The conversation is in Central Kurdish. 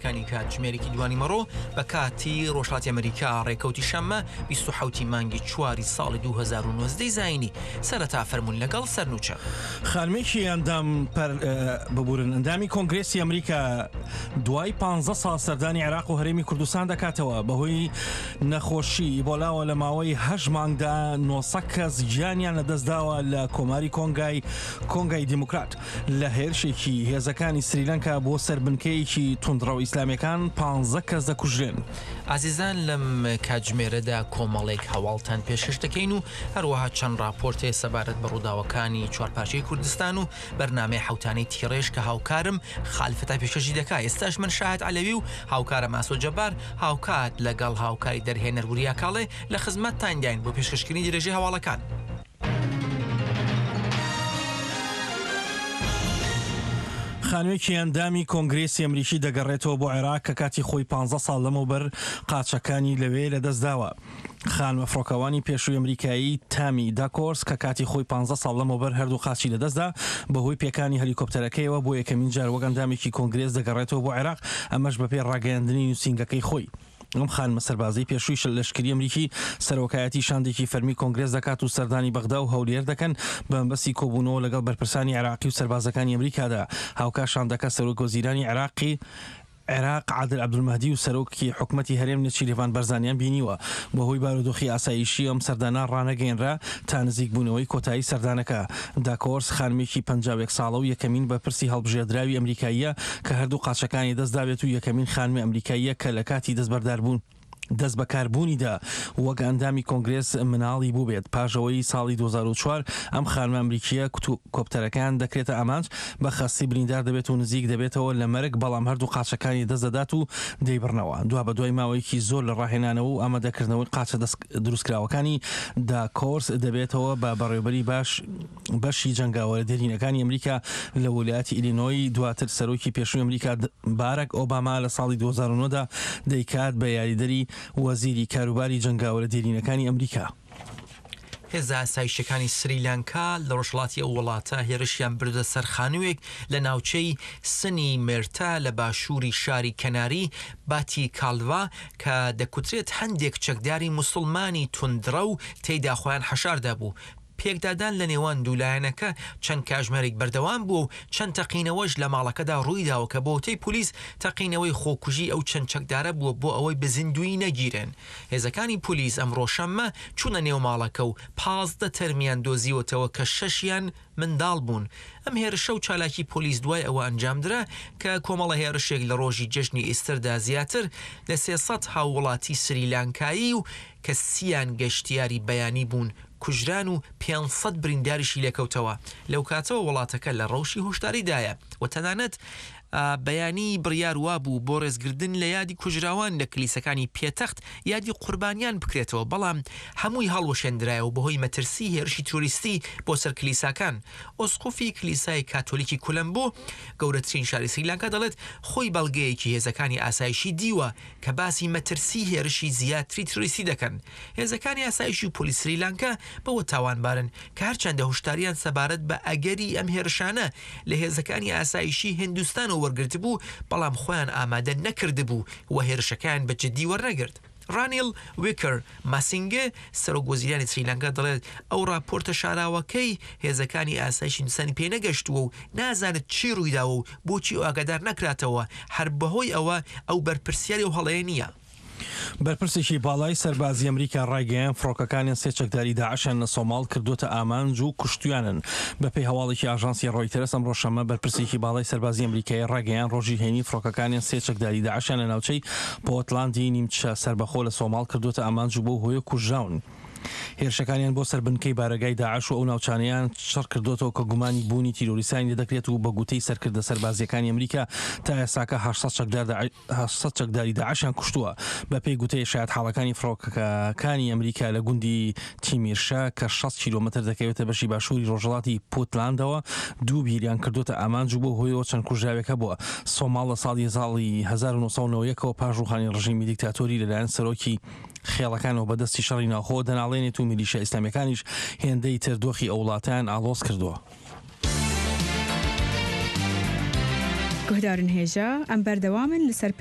هەواڵەکانی کاتژمێرێکی دوانیمەڕۆ بە کاتی ڕۆژهەڵاتی ئەمریکا ڕێکەوتی شەممە 27 مانگی چواری ساڵی 2019 زایینی سەرەتا فەرموون لەگەڵ سەرنوچە. خانمێکی ئەندام پەر ببورن ئەندامی کۆنگرێسی ئەمریکا دوای 15 ساڵ سەردانی عێراق و هەرێمی کوردستان دەکاتەوە بەهۆی نەخۆشی ئیبۆلاوە لە ماوەی هەشت مانگدا 900 کەس گیانیان لەدەستداوە لە کۆماری کۆنگای کۆنگای دیموکرات. لە هێرشێکی هێزەکانی سریلەنکا بۆ سەر بنکەیەکی توندڕەو ئیسلامیەکان پانزە کەس دەکوژرێن. ئازیزان لەم کاتژمێرەدا کۆمەڵێک هەواڵتان پێشکەش دەکەین و هەروەها چەند ڕاپۆرتێ سەبارەت بە ڕووداوەکانی چوارپارچەی کوردستان و بەرنامەی حەوتانەی تیڕێژ کە هاوکارم خالید فەتاح پێشکەشی دەکا ئێستاش من شاهد عەلەوی و هاوکارم ئاسۆ جەبار هاوکات لەگەڵ هاوکاری دەرهێنەر وریا کاڵێ لە خزمەتتانداین بۆ پێشکەشکردنی درێژەی هەواڵەکان. خانمێکی ئەندامی کۆنگرێسی ئەمریکی دەگەڕێتەوە بۆ عێراق کە کاتی خۆی 15 ساڵ لەمەوبەر قاچەکانی لەوێ لەدەستداوە. خانمە فڕۆکەوانی پێشووی ئەمریکایی تامی داکۆرس کە کاتی خۆی 15 ساڵ لەمەوبەر هەردوو قاچی لەدەستدا بەهۆی پێکانی هەلیکۆپتەرەکەیەوە بۆ یەکەمین جار وەک ئەندامێکی کۆنگرێس دەگەڕێتەوە بۆ عێراق ئەمەش بەپێی ڕاگەیاندنی نووسینگەکەی خۆی. ئەم خانمە سەربازەی پێشووی لەشکری ئەمریکی سەرۆکایەتی شاندێکی فەرمی کۆنگرێس دەکات و سەردانی بەغدا و هەولێر دەکەن بە مەبەستی کۆبوونەوە لەگەڵ بەرپرسانی عێراقی و سەربازەکانی ئەمریکادا. هاوکات شاندەکە سەرۆک وەزیرانی عێراقی عێراق عادل عەبدولمەهدی و سەرۆکی حکومەتی هەرێم نێچیرڤان بەرزانیان بینیوە. بەهۆی بارودۆخی ئاسایشی ئەم سەردانە ڕانەگەیەنرا تا نزیکبوونەوەی کۆتایی سەردانەکە. داکۆرس خانمێکی 51 ساڵە و یەکەمین بەرپرسی هەڵبژێردراوی ئەمریکاییە کە هەردوو قاچەکانی دەست دابێت و یەکەمین خانمی ئەمریکاییە کە لە کاتی دەستبەرداربوون دەستبەکاربوونیدا وەک ئەندامی کۆنگرێس مناڵی بووبێت. پاش ئەوەی ساڵی 2004 ئەم خانمە ئەمریکییە کۆپتەرەکەیان دەکرێتە ئامانج، بە خەستی بریندار دەبێت و نزیک دەبێتەوە لە مەرگ، بەڵام هەردوو قاچەکانی دەست دەدات و دەیبڕنەوە. دوابەدوای ماوەیەکی زۆر لە ڕاهێنانەوە و ئامادەکردنەوەی قاچە دەست دروستکراوەکانی، داکۆرس دەبێتەوە بە بەڕێوەبەری باش بەشی جەنگاوەرە دێرینەکانی ئەمریکا لە ولایەتی ئیلینۆی، دواتر سەرۆکی پێشووی ئەمریکا باراک ئۆباما لە ساڵی 2009 دا دەیکات بە یاریدەری وەزیری کاروباری جەنگاوەرە دێرینەکانی ئەمریکا. هێزە ئاسایشیەکانی سریلانکا لە ڕۆژهەڵاتی ئەو وڵاتە هێرشیان بردە سەر خانووێک لە ناوچەی سنی مێرتا لە باشووری شاری کەناری باتیکالڤا کە دەکوترێت هەندێک چەکداری موسڵمانی توندڕەو تێیدا خۆیان حەشاردابوو. پێکدادان لە نێوان دوو لایەنەکە چەند کاژمێرێک بەردەوام بووە و چەند تەقینەوەش لە ماڵەکەدا ڕوویداوە کە بەوتەی پۆلیس تەقینەوەی خۆکوژی ئەو چەند چەکدارە بووە بۆ ئەوەی بە زیندوویی نەگیرێن. هێزەکانی پۆلیس ئەمڕۆ شەممە چوونە نێو ماڵەکە و 15 تەرمیان دۆزیوەتەوە کە شەشیان منداڵ بوون. ئەم هێرشە و چالاکی پۆلیس دوای ئەوە ئەنجامدرا کە کۆمەڵە هێرشێک لە ڕۆژی جەژنی ئیستەردا زیاتر لە 300 هاووڵاتی سریلانکایی و کە سیان گەشتیاری بیانی بوون کوژران و 500 برینداریشی لێکەوتەوە. لەو کاتەوە وڵاتەکە لە ڕەوشی هۆشداریدایە و تەنانەت بەیانی بڕیار وابوو بۆ ڕێزگردن لە یادی کوژراوان لە کلیسەکانی پێتەخت یادی قوربانیان بکرێتەوە، بەڵام هەمووی هەڵوەشێندرایەوە بەهۆی مەترسی هێرشی تیرۆریستی بۆ سەر کلیساکان. ئوسقوفی کلیسای کاتۆلیکی کولەمبۆ، گەورەترین شاری سریلانکا دەڵێت، خۆی بەڵگەیەکی هێزەکانی ئاسایشی دیوە کە باسی مەترسی هێرشی زیاتری تیرۆریستی دەکەن. هێزەکانی ئاسایشی و پۆلیس سریلانکا بەوە تاوانبارن کە هەرچەندە هوشداریان سەبارەت بە ئەگەری ئەم هێرشانە لە هێزەکانی ئاسایشی هیندستانەوە وەرگرتبوو، بەڵام خۆیان ئامادە نەکردبوو و هێرشەکەیان بە جددی وەرنەگرت. ڕانیل ویکر ماسینگێ، سەرۆک وەزیرانی سریلانکا دەڵێت، ئەو ڕاپۆرتە شاراوەکەی هێزەکانی ئاسایشی هیندستانی پێ نەگەشتووە و نازانێت چی ڕوویداوە و بۆچی ئەو ئاگادار نەکراتەوە، هەر بەهۆی ئەوە ئەو بەرپرسیاری ئەو هەڵەیە نییە. بەرپرسێکی باڵای سەربازی ئەمریکا ڕایگەیاند، فڕۆکەکانیان سێ چەکداری داعشیان لە سۆماڵ کردووەتە ئامانج و کوشتویانن. بەپێی هەواڵێکی ئاژانسی ڕۆیتەرز، ئەمڕۆ شەممە بەرپرسێکی باڵای سەربازی ئەمریکایی ڕایگەیاند، ڕۆژی هەینی فڕۆکەکانیان سێ چەکداری داعشیان لە ناوچەی پۆتلاندی نیمچە سەربەخۆ لە سۆماڵ کردووەتە ئامانج و بەو هۆیە کوژراون. هێرشەکانیان بۆ سەر بنکەی بارەگای داعش و ئەو ناوچانەیان چڕ کردۆتەوە کە گومانی بوونی تیرۆریستانی لێدەکرێت و بە گوتەی سەرکردە سەربازییەکانی ئەمریکا تا ئێستاکە 800 چەکدار 800 چەکداری داعشیان کوشتووە. بەپێی گوتەی شایەتحاڵەکانی فڕۆکەکانی ئەمریکا لە گوندی تیمیرشە کە 60 کیلۆمەتر دەکەوێتە بەشی باشووری ڕۆژهەڵاتی پوتلاندەوە دوو بیریان کردۆتە ئامانج و بەو هۆیەوە چەند کوژراوێک هەبووە. سۆماڵ لە ساڵی ساڵی 1991 ەوە پاش ڕووخانی ڕژێمی دیکتاتۆری لەلایەن سەرۆکی خێڵەکانەوە بە دەستی شەڕی ناوخۆ دەناڵێنێت و میلیشیا ئیسلامیەکانیش هێندەی تر دۆخی ئەو وڵاتەیان ئاڵۆز کردووە. گوهدارن هێژا، ئەم بەردەوامن لەسەر پێش.